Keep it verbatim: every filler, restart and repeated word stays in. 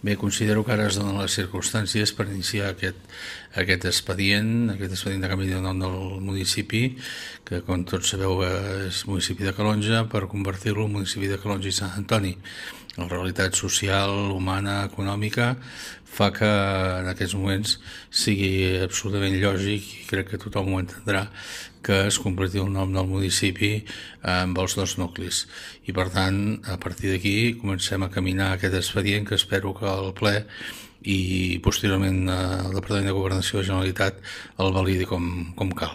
Bé, considero que ara es donen les circumstàncies per iniciar aquest, aquest expedient, aquest expedient de canvi de nom del municipi, que com tots sabeu és municipi de Calonge, per convertir-lo en municipi de Calonge i Sant Antoni. La realitat social, humana, econòmica, fa que en aquests moments sigui absolutament lògic, i crec que tothom ho entendrà, que es completi el nom del municipi amb els dos nuclis. I per tant, a partir d'aquí comencem a caminar aquest expedient que espero que el ple i posteriorment el Departament de Governació de la Generalitat el validi com, com cal.